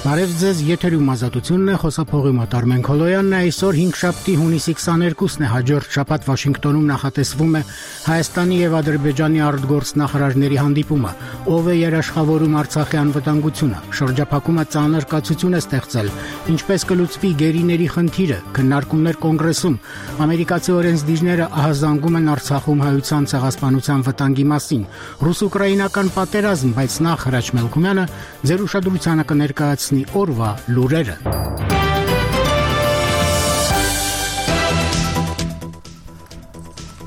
Բարև ձեզ, եթերում ազատությունն է, խոսափողի մոտ Արմեն Քոլոյանն է, այսօր 5-շաբթի հունիսի 22-ն է, հաջորդ շաբաթ Վաշինգտոնում նախատեսվում է Հայաստանի եւ Ադրբեջանի արտգործնախարարների հանդիպումը, ով է երաշխավորում Արցախի անվտանգությունը, շրջափակումը ծանր կացություն է ստեղծել, ինչպես կլուծվի գերիների խնդիրը, քննարկումներ կոնգրեսում, ամերիկացի օրենսդիրները ահազանգում են Արցախում հայության ցեղասպանության վտանգի մասին, ռուս-ուկրաինական պատերազմ, բայց նախ Հրաչ Մելքումյանը ձեր ուշադրությանը կներկայացնի օրվա լուրերը։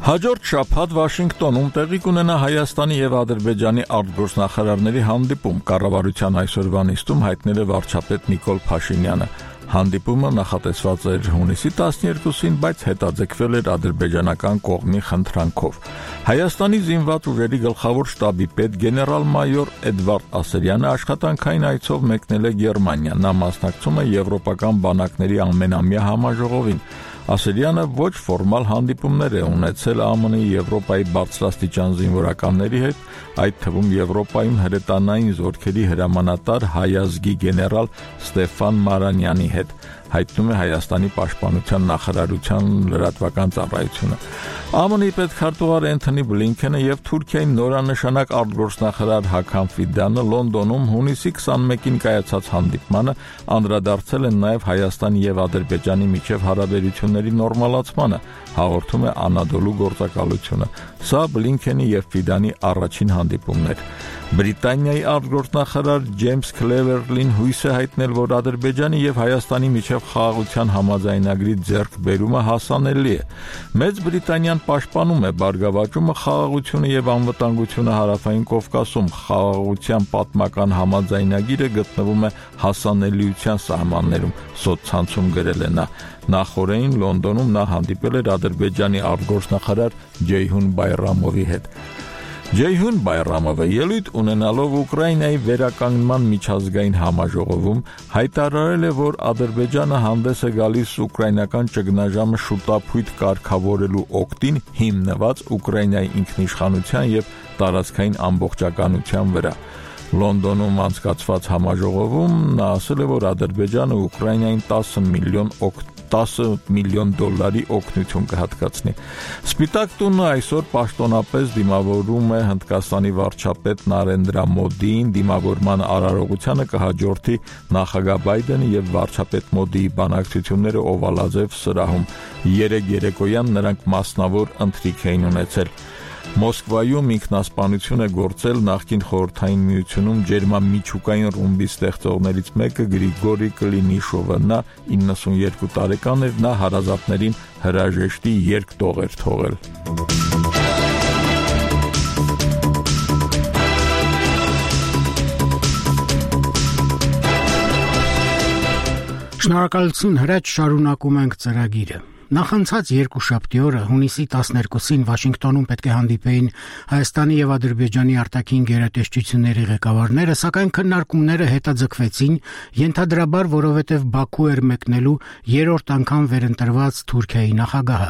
Հաջորդ շաբաթ Վաշինգտոնում տեղի կունենա Հայաստանի եւ Ադրբեջանի արտգործնախարարների հանդիպում, կառավարության այսօրվա նիստում հայտնել է վարչապետ Նիկոլ Փաշինյանը։ Հանդիպումը նախատեսված էր հունիսի 12-ին, բայց հետաձգվել էր ադրբեջանական կողմի խնդրանքով։ Հայաստանի զինված ուժերի գլխավոր շտաբի պետ գեներալ-մայոր Էդվարդ Ասերյանը աշխատանքային այցով մեկնել է Գերմանիա։ Նա մասնակցում է եվրոպական բանակների ամենամյա համաժողովին։ Ասերյանը ոչ ֆորմալ հանդիպումներ է ունեցել ԱՄՆ-ի Եվրոպայի բարձրաստիճան զինվորականների հետ, այդ թվում Եվրոպայում հրետանային զորքերի հրամանատար հայազգի գեներալ Ստեֆան Մարանյանի հետ, հայտնում է Հայաստանի պաշտպանության նախարարության լրատվական ծառայությունը։ ԱՄՆ-ի պետքարտուղար Էնթոնի Բլինքենը եւ Թուրքիայի նորանշանակ արտգործնախարար Հական Ֆիդանը Լոնդոնում հունիսի 21-ին կայացած հանդիպմանը անդրադարձել են նաեւ Հայաստանի եւ Ադրբեջանի միջև հարաբերությունների նորմալացմանը, հաղորդում է Անադոլու գործակալությունը։ Սա Բլինքենի եւ Ֆիդանի առաջին հանդիպումն էր։ Բրիտանիայի արտգործնախարար Ջեյմս Քլևերլին հույս է հայտնել, որ Ադրբեջանի եւ Հայաստանի միջև խաղաղության համաձայնագրի ձեռքբերումը հասանելի է։ Մեծ Բրիտանիան պաշտպանում է բարգավաճումը, խաղաղությունը եւ անվտանգությունը Հարավային Կովկասում։ Խաղաղության պատմական համաձայնագիրը գտնվում է հասանելիության սահմաններում, սոցցանցում գրել է նա։ Նախորդին Լոնդոնում նա հանդիպել էր Ադրբեջանի արտգործնախարար Ջեյհուն Բայրամովի հետ։ Ջեյհուն Բայրամովը ելույթ ունենալով Ուկրաինայի վերականգնման միջազգային համաժողովում հայտարարել է, որ Ադրբեջանը հանդես է գալիս ուկրաինական ճգնաժամը շուտափույթ կարգավորելու օգտին, հիմնված Ուկրաինայի ինքնիշխանության եւ տարածքային ամբողջականության վրա։ Լոնդոնում անցկացված համաժողովում նա ասել է, որ Ադրբեջանը Ուկրաինային 10 միլիոն դոլարի օգնություն կհատկացնի։ Սպիտակ տունը այսօր պաշտոնապես դիմավորում է Հնդկաստանի վարչապետ Նարենդրա Մոդիին, դիմավորման արարողությանը կհաջորդի նախագահ Բայդենը եւ վարչապետ Մոդիի բանակցությունները Օվալաձև սրահում։ Երեկոյան նրանք մասնավոր ընթրիք էին ունեցել։ Մոսկվայում ինքնասպանություն է գործել նախկին խորհրդային միությունում ջերմամիջուկային ռումբի ստեղծողներից մեկը Գրիգորի Կլինիշովը։ Նա 92 տարեկան էր, նա հարազատներին հրաժեշտի երկտող էր թողել։ Շնորհակալություն, Հրաչ, շարունակում ենք ծրագիրը։ Նախանցած երկուշաբթի օրը հունիսի 12-ին Վաշինգտոնում պետք է հանդիպեին Հայաստանի եւ Ադրբեջանի արտաքին գերատեսչությունների ղեկավարները, սակայն քննարկումները հետաձգվեցին, ենթադրաբար, որովհետեւ Բաքու էր մեկնելու երրորդ անգամ վերընտրված Թուրքիայի նախագահը։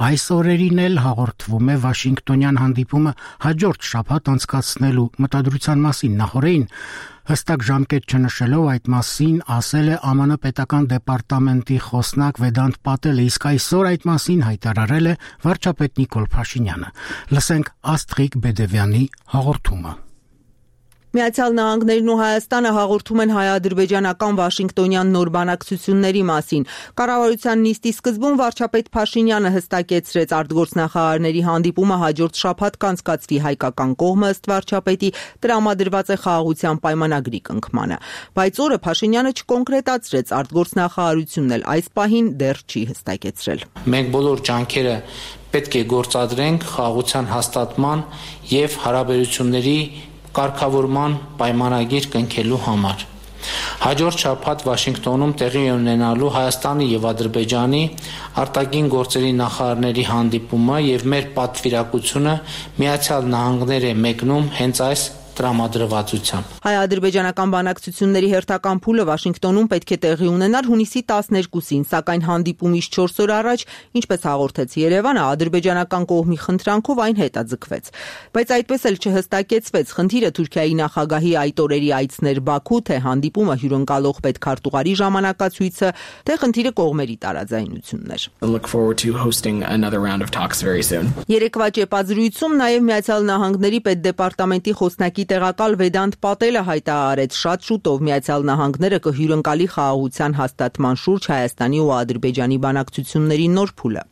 Այս օրերին էլ հաղորդվում է Վաշինգտոնյան հանդիպումը հաջորդ շաբաթ անցկացնելու մտադրության մասին։ Նախորդին հստակ ժամկետ չնշելով այդ մասին ասել է ԱՄՆ պետական դեպարտամենտի խոսնակ Վեդանտ Պատելը, իսկ այսօր այդ մասին հայտարարել է վարչապետ Նիկոլ Փաշինյանը։ Լսենք Աստրիկ Բեդևյանի հաղորդումը։ Միացյալ Նահանգներն ու Հայաստանը հաղորդում են հայ-ադրբեջանական Վաշինգտոնյան նոր բանակցությունների մասին։ Կառավարության նիստի սկզբում վարչապետ Փաշինյանը հստակեցրեց արտգործնախարարների հանդիպումը հաջորդ շաբաթ կանցկացվի, հայկական կողմը ըստ վարչապետի տրամադրված է խաղաղության պայմանագրի կնքմանը։ Բայց օրը Փաշինյանը չկոնկրետացրեց, արտգործնախարարությունն էլ այս պահին դեռ չի հստակեցրել։ Մենք բոլոր ջանքերը պետք է գործադրենք խաղաղության հաստատման եւ հարաբերությունների կարգավորման պայմանագիր կնքելու համար։ Հաջորդ շաբաթ Վաշինգտոնում տեղի ունենալու Հայաստանի եւ Ադրբեջանի արտաքին գործերի նախարարների հանդիպումը եւ մեր պատվիրակությունը Միացյալ Նահանգներ է մեկնում հենց այս տրամադրվածությամբ։ Հայ-ադրբեջանական բանակցությունների հերթական փուլը Վաշինգտոնում պետք է տեղի ունենար հունիսի 12-ին, սակայն հանդիպումից 4 օր առաջ, ինչպես հաղորդեց Երևանը, ադրբեջանական կողմի խնդրանքով այն հետաձգվեց։ Բայց այդպես էլ չհստակեցվեց խնդիրը Թուրքիայի նախագահի այդ օրերի այցներ Բաքու, թե հանդիպումը հյուրընկալող պետքարտուղարի ժամանակացույցը, թե խնդիրը կողմերի տարաձայնություններ։ Երեկվա ճեպազրույցում նաև Միացյալ Նահանգների պետդեպարտամենտի խոսնակի տեղակալ Վեդանտ Պատելը հայտարարեց, շատ շուտով Միացյալ Նահանգները կհյուրընկալի խաղաղության հաստատման շուրջ Հայաստանի ու Ադրբեջանի բանակցությունների նոր փուլը։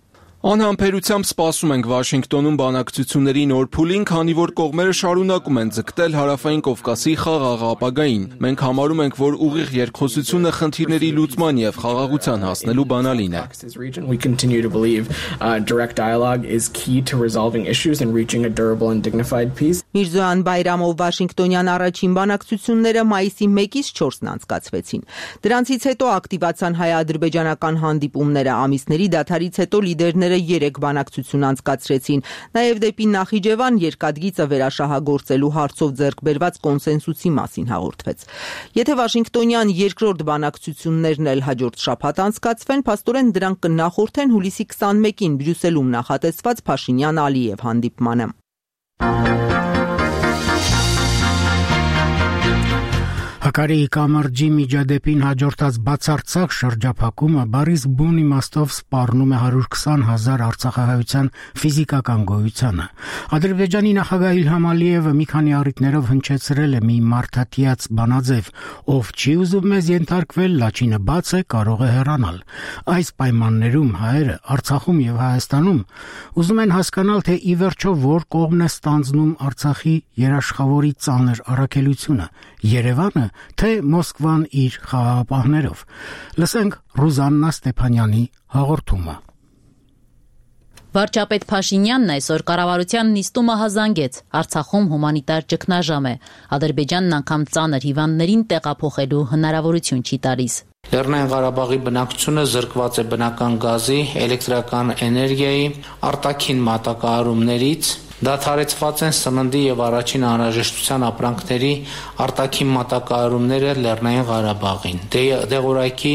Անհամբերությամբ սպասում ենք Վաշինգտոնում բանակցությունների նոր փուլին, քանի որ կողմերը շարունակում են ձգտել Հարավային Կովկասի խաղաղ ապագային։ Մենք համարում ենք, որ ուղիղ երկխոսությունը խնդիրների լուծման եւ խաղաղության հասնելու բանալին է։ Միրզոյան Բայրամով Վաշինգտոնյան առաջին բանակցությունները մայիսի 1-ից 4-ն անցկացվեցին։ Դրանցից հետո ակտիվացան հայ-ադրբեջանական հանդիպումները, ամիսների դադարից հետո լիդերները 3 բանակցություն անցկացրեցին։ Նաև դեպի Նախիջևան երկաթգիծը վերաշահագործելու հարցով ձեռք բերված կոնսենսուսի մասին հաղորդվեց։ Եթե Վաշինգտոնյան երկրորդ բանակցություններն էլ հաջորդ շաբաթ անցկացվեն, փաստորեն դրանք կնախորդեն հուլիսի 21-ին Բրյուսելում նախատեսված Փաշինյան-Ալիև հանդիպմանը։ Հակարիի կամրջի միջադեպին հաջորդած բացարձակ շրջափակումը բառից բուն իմաստով սպառնում է 120,000 արցախահայության ֆիզիկական գոյությանը։ Ադրբեջանի նախագահ Իլհամ Ալիևը մի քանի առիթներով հնչեցրել է մի մարդատիաց բանաձև, ով չի ուզում մեզ ենթարկվել, լաչինը բաց է, կարող է հեռանալ։ Այս պայմաններում հայերը Արցախում եւ Հայաստանում ուզում են հասկանալ, թե ի վերջո որ կողմն է ստանձնում Արցախի երաշխավորի ծանր առաքելությունը՝ Երևանը, թե Մոսկվան իր խաղաղապահներով։ Լսենք Ռուզաննա Ստեփանյանի հաղորդումը։ Վարչապետ Փաշինյանն այսօր կառավարության նիստումը հազանգեց։ Արցախում հումանիտար ճգնաժամ է։ Ադրբեջանն անգամ ծանր հիվանդներին տեղափոխելու հնարավորություն չի տալիս։ Լեռնային Ղարաբաղի բնակչությունը զրկված է բնական գազի, էլեկտրական էներգիայի, արտաքին մատակարարումներից, դադարեցված են սննդի եւ առաջին անհրաժեշտության ապրանքների արտաքին մատակարարումները Լեռնային Ղարաբաղին։ Դեղորայքի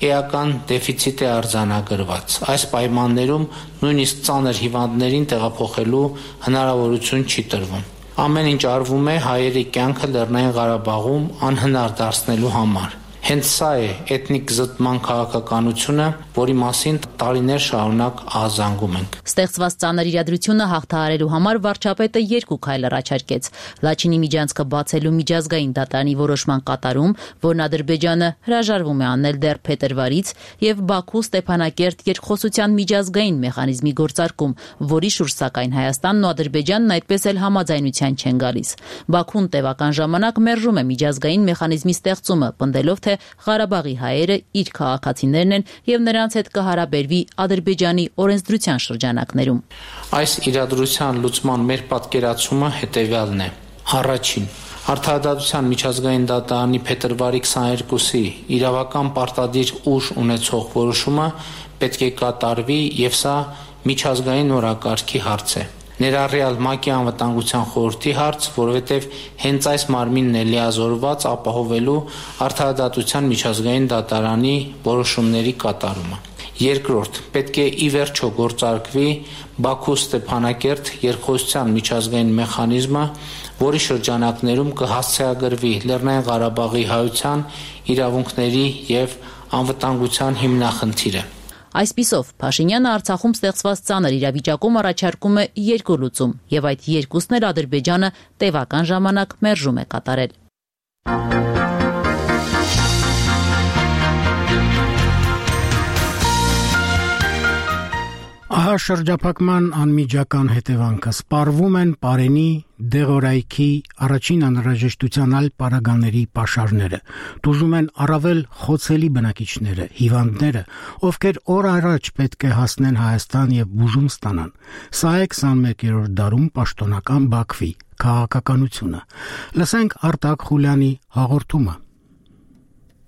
էական դեֆիցիտ է արձանագրված։ Այս պայմաններում նույնիսկ ծանր հիվանդներին տեղափոխելու հնարավորություն չի տրվում։ Ամեն ինչ արվում է հայերի կյանքը Լեռնային Ղարաբաղում անհնար դարձնելու համար։ Հենց սա է էթնիկ զտման քաղաքականությունը, որի մասին տարիներ շարունակ ահազանգում ենք։ Ստեղծված ծանր իրադրությունը հաղթահարելու համար վարչապետը 2 քայլ առաջարկեց։ Լաչինի միջանցքը բացելու միջազգային դատարանի որոշման կատարում, որն Ադրբեջանը հրաժարվում է անել դեռ փետրվարից, եւ Բաքու Ստեփանակերտ երկխոսության միջազգային մեխանիզմի գործարկում, որի շուրջ սակայն Հայաստանն ու Ադրբեջանն այդպես էլ համաձայնության չեն գալիս։ Բաքուն տևական ժամանակ մերժում է միջազգային մեխանիզմի ստեղծումը, պնդելով, թե Ղարաբաղի հայերը իր քաղաքացիներն են եւ նրանց հետ կհարաբերվի Ադրբեջանի օրենսդրության շրջանակներում։ Այս իրադրության լուծման մեր պատկերացումը հետեւյալն է. Առաջին, Արդարադատության միջազգային դատարանի փետրվարի 22-ի իրավական պարտադիր ուժ ունեցող որոշումը պետք է կատարվի եւ սա միջազգային օրակարգի հարց է։ Ներառյալ ՄԱԿ-ի անվտանգության խորհրդի հարց, որովհետև հենց այս մարմինն է լիազորված ապահովելու արդարադատության միջազգային դատարանի որոշումների կատարումը։ Երկրորդ, պետք է ի վերջո գործարկվի Բաքու Ստեփանակերտ երկխոսության միջազգային մեխանիզմը, որի շրջանակներում կհասցեագրվի Լեռնային Ղարաբաղի հայության իրավունքների եւ անվտանգության հիմնախնդիրը։ Այսպիսով, Փաշինյանը Արցախում ստեղծված ծանր իրավիճակում առաջարկում է 2 լուծում, եւ այդ երկուսն էլ Ադրբեջանը տևական ժամանակ մերժում է կատարել։ Ահա շրջափակման անմիջական հետևանքը սպառվում են Պարենի, Դեղորայքի, առաջին անհրաժեշտության այլ պարագաների պաշարները, տուժում են առավել խոցելի բնակիչները, հիվանդները, ովքեր օր առաջ պետք է հասնեն Հայաստան եւ բուժում ստանան։ Սա է 21-րդ դարում պաշտոնական Բաքվի քաղաքականությունը։ Լսենք Արտակ Խուլյանի հաղորդումը։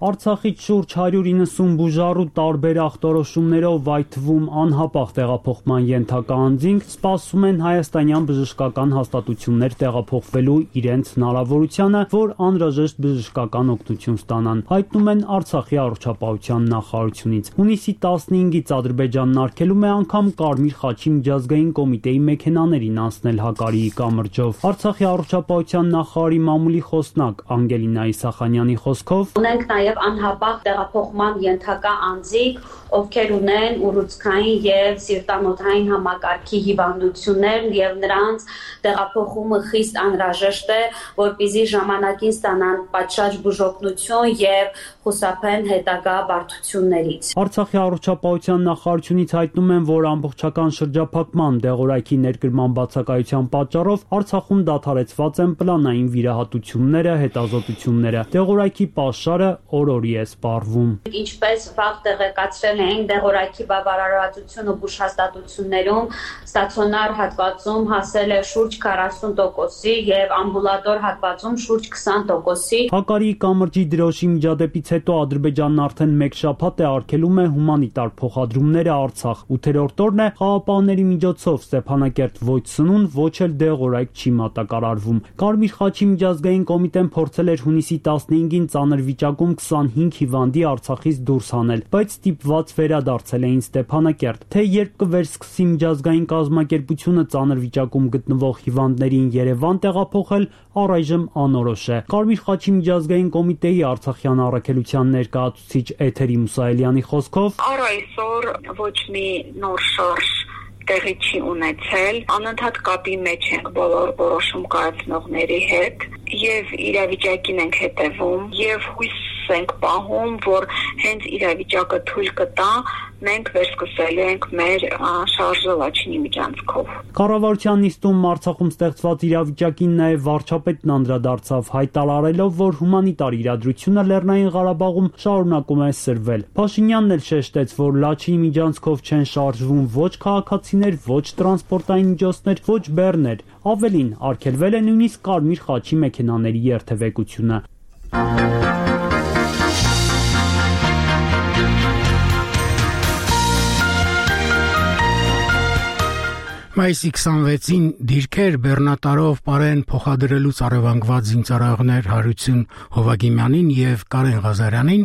Արցախից շուրջ 190 բուժառու տարբեր ախտորոշումներով, այդ թվում անհապաղ տեղափոխման ենթակա անձինք սպասում են հայաստանյան բժշկական հաստատություններ տեղափոխվելու իրենց հնարավորությանը, որ անհրաժեշտ բժշկական օգնություն ստանան, հայտնում են Արցախի առողջապահության նախարարությունից։ Հունիսի 15-ից Ադրբեջանն արգելում է անգամ Կարմիր խաչի միջազգային կոմիտեի մեքենաներին անցնել Հակարիի կամրջով։ Արցախի առողջապահության նախարարի մամուլի խոսնակ Անգելինա Իսախանյանի խոսքով ունենք նաև անհապաղ տեղափոխման ենթակա անձիկ, ովքեր ունեն ուռուցքային եւ սիրտանոթային համակարգի հիվանդություններ եւ նրանց տեղափոխումը խիստ անհրաժեշտ է, որպեսզի ժամանակին ստանան պատշաճ բուժօգնություն եւ խուսափեն հետագա բարդություններից։ Արցախի առողջապահության նախարարությունից հայտնում են, որ ամբողջական շրջափակման դեղորայքի ներկրման բացակայության պատճառով Արցախում դադարեցված են պլանային վիրահատությունները, հետազոտությունները։ Դեղորայքի պաշարը օր-օրի է սպառվում։ Ինչպես վաղ տեղեկացրել էին, դեղորայքի բավարարվածությունը բուժհաստատություններում ստացիոնար հատվածում հասել է շուրջ 40%-ի եւ ամբուլատոր հատվածում շուրջ 20%-ի։ Հակարիի կամրջի դրոշի միջադեպից հետո Ադրբեջանն արդեն մեկ շաբաթ է արգելում է հումանիտար փոխադրումները Արցախ։ 8-րդ օրն է խաղապահների միջոցով Ստեփանակերտ ոչ սնուն, ոչ էլ դեղորայք չի մատակարարվում։ Կարմիր խաչի միջազգային կոմիտեն փորձել էր հունիսի 15-ին ծանր վիճակում 25 հիվանդի Արցախից դուրս հանել, բայց ստիպված վերադարձել էին Ստեփանակերտ։ Թե երբ կվերսկսի միջազգային կազմակերպությունը ծանր վիճակում գտնվող հիվանդներին Երևան տեղափոխել, առայժմ անորոշ է։ Կարմիր խաչի միջազգային կոմիտեի Արցախյան առաքելության ներկայացուցիչ Էթերի Մուսայելյանի խոսքով առ այսօր ոչ մի նոր շարժ տեղի չի ունեցել, անընդհատ կապի մեջ ենք բոլոր որոշում կայացնողների հետ եւ իրավիճակին ենք հետևում եւ հույս ենք պահում, որ հենց իրավիճակը թույլ կտա, մենք վերսկսելու ենք մեր շարժը Լաչինի միջանցքով։ Կառավարության նիստում Արցախում ստեղծված իրավիճակին նաև վարչապետն անդրադարձավ, հայտարարելով, որ հումանիտար իրադրությունը Լեռնային Ղարաբաղում շարունակում է սրվել։ Փաշինյանն էլ շեշտեց, որ Լաչինի միջանցքով չեն շարժվում ոչ քաղաքացիներ, ոչ տրանսպորտային միջոցներ, ոչ բեռներ։ Ավելին, արգելվել է նույնիսկ Կարմիր խաչի մեքենաների երթևեկությունը։ Մայիսի 26-ին դիրքեր բեռնատարով Պարեն փոխադրելուց առևանգված զինծառայողներ Հարություն Հովագիմյանին եւ Կարեն Ղազարյանին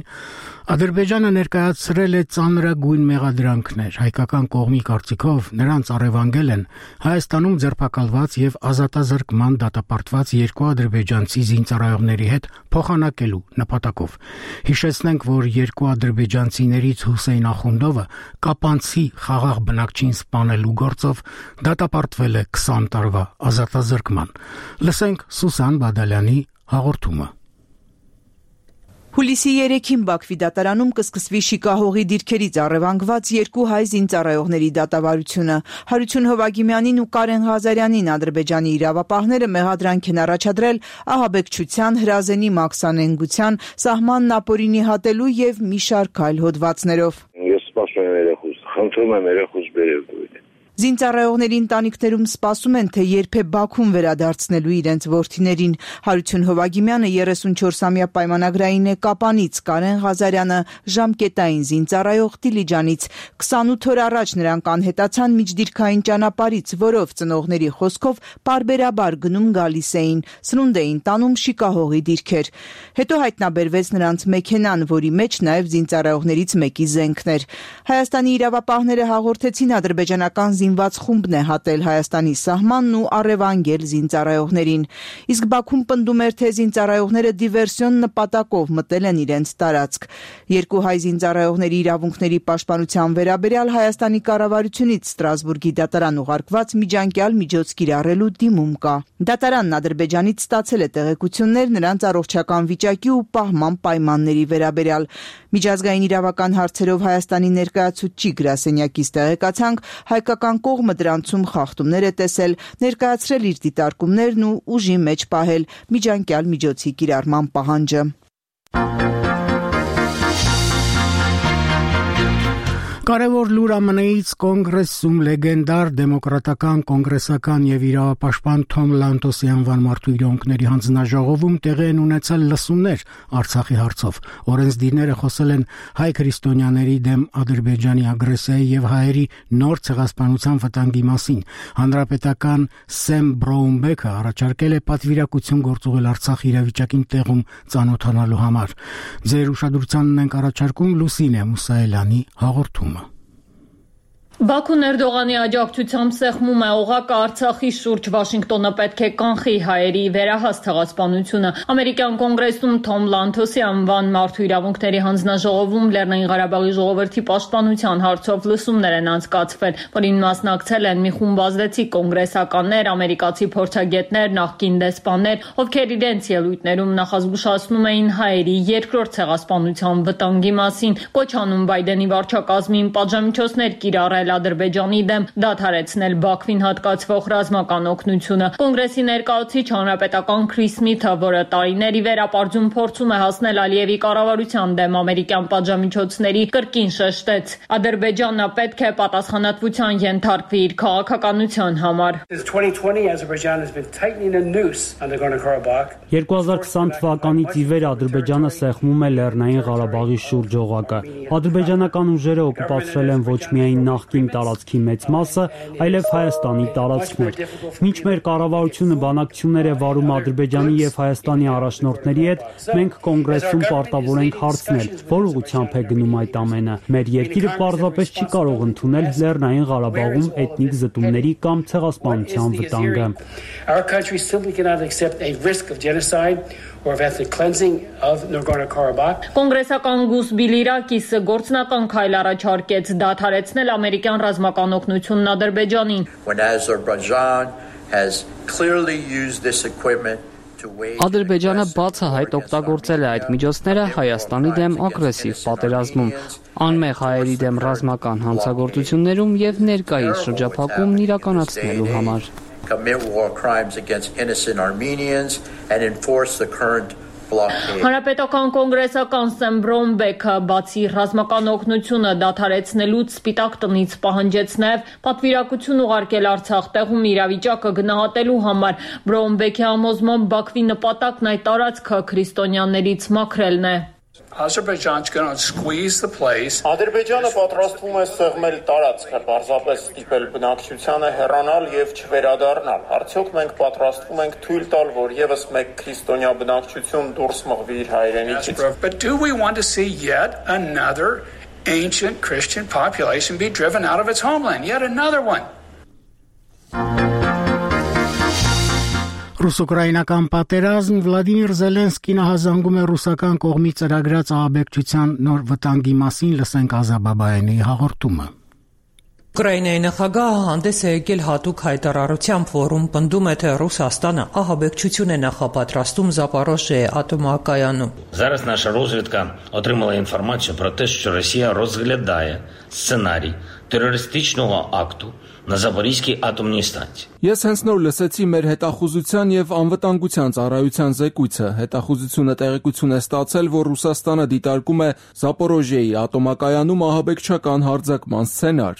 Ադրբեջանը ներկայացրել է ծանրագույն մեղադրանքներ։ Հայկական կողմի կարծիքով նրանց առևանգել են Հայաստանում ձերբակալված եւ ազատազրկման դատապարտված երկու ադրբեջանցի զինծառայողների հետ փոխանակելու նպատակով։ Հիշեցնենք, որ երկու ադրբեջանցիներից Հուսեյն Ախունդովը կապանցի խաղաղ բնակչին սպանելու գործով դատապարտվել է 20 տարվա ազատազրկման։ Լսենք Սուսան Բադալյանի հաղորդումը։ Հուլիսի 3-ին Բաքվի դատարանում կսկսվի շիկահողի դիրքերից առևանգված երկու հայ զինծառայողների դատավարությունը։ Հարություն Հովագիմյանին ու Կարեն Ղազարյանին Ադրբեջանի իրավապահները մեղադրանք են առաջադրել ահաբեկչության, հրազենի մաքսանենգության, սահմանն ապօրինի հատելու եւ մի շարք այլ հոդվածներով։ Ես սպասում եմ երեխուս, խնդրում եմ երեխուս բերել դուք։ Զինծառայողների ընտանիքներում սպասում են, թե երբ է Բաքուն վերադարձնելու իրենց որդիներին։ Հարություն Հովագիմյանը 34-ամյա պայմանագրային է Կապանից, Կարեն Ղազարյանը ժամկետային զինծառայող Դիլիջանից։ 28 օր առաջ նրանք անհետացան միջդիրքային ճանապարհից, որով ծնողների խոսքով պարբերաբար գնում գալիս էին, սնունդ էին տանում շիկահողի դիրքեր։ Հետո հայտնաբերվեց նրանց մեքենան, որի մեջ նաև զինծառայողներից մեկի զենքն էր։ Հայաստանի իրավապահները հաղորդեցին ադրբեջանական զինված խումբն է հատել Հայաստանի սահմանն ու առևանգել զինծառայողներին։ Իսկ Բաքուն պնդում էր, թե զինծառայողները դիվերսիոն նպատակով մտել են իրենց տարածք։ Երկու հայ զինծառայողների իրավունքների պաշտպանության վերաբերյալ Հայաստանի կառավարությունից Ստրասբուրգի դատարան ուղարկված միջանկյալ միջոց կիրառելու դիմում կա։ Դատարանն Ադրբեջանից ստացել է տեղեկություններ նրանց առողջական վիճակի ու պահման պայմանների վերաբերյալ։ Միջազգային իրավական հարցերով Հայաստանի ներկայացուցիչ գրասենյակից տեղեկացանք, հայկական կողմը դրանցում խախտումներ է տեսել, ներկայացրել իր դիտարկումներն ու ուժի մեջ պահել միջանկյալ միջոցի կիրառման պահանջը։ Կարևոր լուր ԱՄՆ-ից կոնգրեսում լեգենդար դեմոկրատական կոնգրեսական եւ իրավապաշտպան Թոմ Լանտոսի անվան մարդու իրավունքների հանձնաժողովում տեղի են ունեցել լսումներ Արցախի հարցով։ Օրենսդիրները խոսել են հայ քրիստոնյաների դեմ Ադրբեջանի ագրեսիայի եւ հայերի նոր ցեղասպանության վտանգի մասին։ Հանրապետական Սեմ Բրոունբեքը առաջարկել է պատվիրակություն գործուղել Արցախի իրավիճակին տեղում ծանոթանալու համար։ Ձեր ուշադրությանն ենք առաջարկում Լուսինե Մուսայելյանի հաղորդումը։ Բաքուն Էրդողանի աջակցությամբ սեղմում է օղակը Արցախի շուրջ, Վաշինգտոնը պետք է կանխի հայերի վերահաս ցեղասպանությունը։ Ամերիկյան կոնգրեսում Թոմ Լանթոսի անվան մարդու իրավունքների հանձնաժողովում Լեռնային Ղարաբաղի ժողովրդի պաշտպանության հարցով լսումներ են անցկացվել, որին մասնակցել են մի խումբ ազդեցիկ կոնգրեսականներ, ամերիկացի փորձագետներ, նախկին դեսպաններ, ովքեր իրենց ելույթներում նախազգուշացնում էին հայերի երկրորդ ցեղասպանության վտանգի մասին, կոչ անում Բայդենի վարչակազմին պատժամիջոցներ կիրառել Ադրբեջանի դեմ, դադարեցնել Բաքվին հատկացվող ռազմական օգնությունը։ Կոնգրեսի ներկայացուցիչ հանրապետական Քրիս Սմիթը, որը տարիների վերապարծում փորձում է հասնել Ալիևի կառավարության դեմ ամերիկյան պատժամիջոցների, կրկին շեշտեց. Ադրբեջանը պետք է պատասխանատվության ենթարկվի իր քաղաքականության համար։ 2020 թվականից ի վեր Ադրբեջանը սեղմում է Լեռնային Ղարաբաղի շուրջ օղակը։ Ադրբեջանական ուժերը օկուպացրել են ոչ միայն նախկին տարածքի մեծ մասը, այլև Հայաստանի տարածքներ։ Մինչ մեր կառավարությունը բանակցություններ է վարում Ադրբեջանի եւ Հայաստանի առաջնորդների հետ, մենք կոնգրեսում պարտավոր ենք հարցնել, որ ուղղությամբ է գնում այդ ամենը։ Մեր երկիրը պարզապես չի կարող ընդունել Լեռնային Ղարաբաղում էթնիկ զտումների կամ ցեղասպանության վտանգը։ Կոնգրեսական Գուս Բիլիրակիսը գործնական քայլ առաջարկեց դադարեցնել ամերիկյան ռազմական օգնությունն Ադրբեջանին։ Ադրբեջանը բացահայտ օգտագործել է այդ միջոցները Հայաստանի դեմ ագրեսիվ պատերազմում, անմեղ հայերի դեմ ռազմական հանցագործություններում եւ ներկայիս շրջափակումն իրականացնելու համար։ Հանրապետական կոնգրեսական Սեմ Բրոունբեքը բացի ռազմական օգնությունը դադարեցնելուց Սպիտակ տնից պահանջեց նաև պատվիրակություն ուղարկել Արցախ տեղում իրավիճակը գնահատելու համար։ Բրոունբեքի համոզմամբ Բաքվի նպատակն այդ տարածքը քրիստոնյաներից մաքրելն է։ Ադրբեջանը պատրաստվում է սեղմել տարածքը, պարզապես ստիպել բնակչությանը հեռանալ եւ չվերադառնալ։ Արդյոք մենք պատրաստվում ենք թույլ տալ, որ եւս մեկ քրիստոնյա բնակչություն դուրս մղվի իր հայրենիքից։ But do we want to see yet another ancient Christian population be driven out of its homeland? Yet another one. Ռուս-ուկրաինական պատերազմ Վլադիմիր Զելենսկին հազանգում է ռուսական կողմի ծրագրած ահաբեկչության նոր վտանգի մասին, լսենք Ազաբաբայանի հաղորդումը։ Ուկրաինայի նախագահը հանդես է եկել հատուկ հայտարարությամբ, որում պնդում է, թե Ռուսաստանը ահաբեկչություն է նախապատրաստում Զապորոժիայի атомокаяնում։ Зараз наша розвідка отримала інформацію про те, що Росія розглядає сценарій терористичного акту на Запорізькій атомній станції. Ես հենց նոր լսեցի մեր հետախուզության եւ անվտանգության ծառայության զեկույցը։ Հետախուզությունը տեղեկություն է ստացել, որ Ռուսաստանը դիտարկում է Զապորոժիայի атомокայանում ահաբեկչական հարձակման սցենար։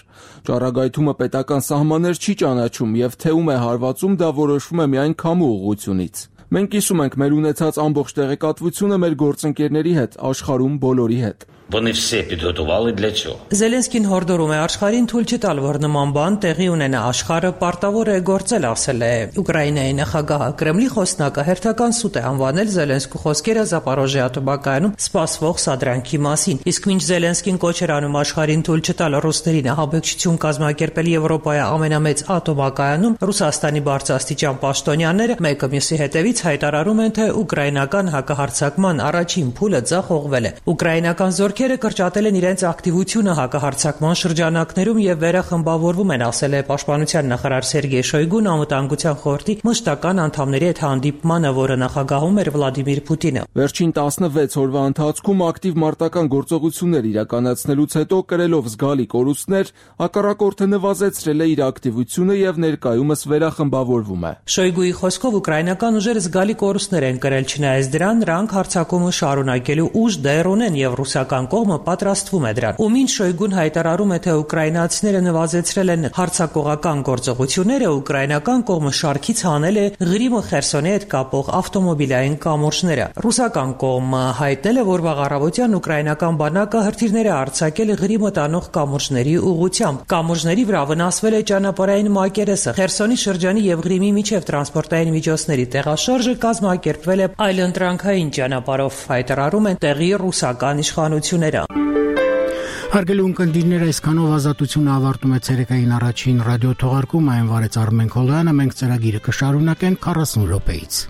Ճառագայթումը պետական սահմաններ չի ճանաչում եւ թեում է հարվածում, դա որոշվում է միայն քամու ուղղությունից։ Մենք կիսում ենք մեր ունեցած ամբողջ տեղեկատվությունը մեր գործընկերների հետ, աշխարհում բոլորի հետ։ Вони все підготували для цього. Զելենսկին հորդորում է աշխարհին թույլ չտալ, որ նման բան տեղի ունենա, աշխարհը պարտավոր է գործել, ասել է Ուկրաինայի նախագահը։ Կրեմլի խոսնակը հերթական սուտ է անվանել Զելենսկու խոսքերը Զապորոժիայի атомокայանում սպասվող սադրանքի մասին։ Իսկ մինչ Զելենսկին կոչ էր անում աշխարհին թույլ չտալ ռուսներին ահաբեկչություն կազմակերպել Եվրոպայի ամենամեծ атомокայանում, Ռուսաստանի բարձրաստիճան պաշտոնյաները մեկը մյուսի հետևից հայտարարում են, թե ուկրաինական հակահարձակման առաջին փուլը ձախողվել է։ Ուկրաինական զորքերը կրճատել են իրենց ակտիվությունը հակահարձակման շրջանակներում եւ վերախմբավորվում են, ասել է պաշտպանության նախարար Սերգեյ Շոյգուն անվտանգության խորհրդի մշտական անդամների հետ հանդիպմանը, որը նախագահում էր Վլադիմիր Պուտինը։ Վերջին 16 օրվա ընթացքում ակտիվ մարտական գործողություններ իրականացնելուց հետո կրելով զգալի կորուստներ, հակառակորդը նվազեցրել է իր ակտիվությունը եւ ներկայումս վերախմբավորվում է։ Շոյգուի խոսքով ուկրաինական ուժերը զգալի կորուստներ են կրել, չնայած դրան նրանք հարձակումը շարունակելու ուժ դեռ ունեն եւ ռուսական ռուսական կողմը պատրաստվում է դրան։ Ու մինչ Շոյգուն հայտարարում է, թե ուկրաինացիները նվազեցրել են հարձակողական գործողությունները, ուկրաինական կողմը շարքից հանել է Ղրիմը Խերսոնի հետ կապող ավտոմոբիլային կամուրջները։ Ռուսական կողմը հայտնել է, որ վաղ առավոտյան ուկրաինական բանակը հրթիռներ է արձակել Ղրիմը տանող կամուրջների ուղղությամբ։ Կամուրջների վրա վնասվել է ճանապարհային մակերեսը։ Խերսոնի շրջանի եւ Ղրիմի միջև տրանսպորտային միջոցների տեղաշարժը կազմակերպվել է այլընտրանքային ճանապարհով, հայտարարում են տեղի ռուսական իշխանությունները։ Հարգելի ունկնդիրներ, այսքանով ազատությունը ավարտում է ցերեկային առաջին ռադիո թողարկումը, այն վարեց Արմեն Քոլյանը, մենք ծրագիրը կշարունակենք 40 րոպեից։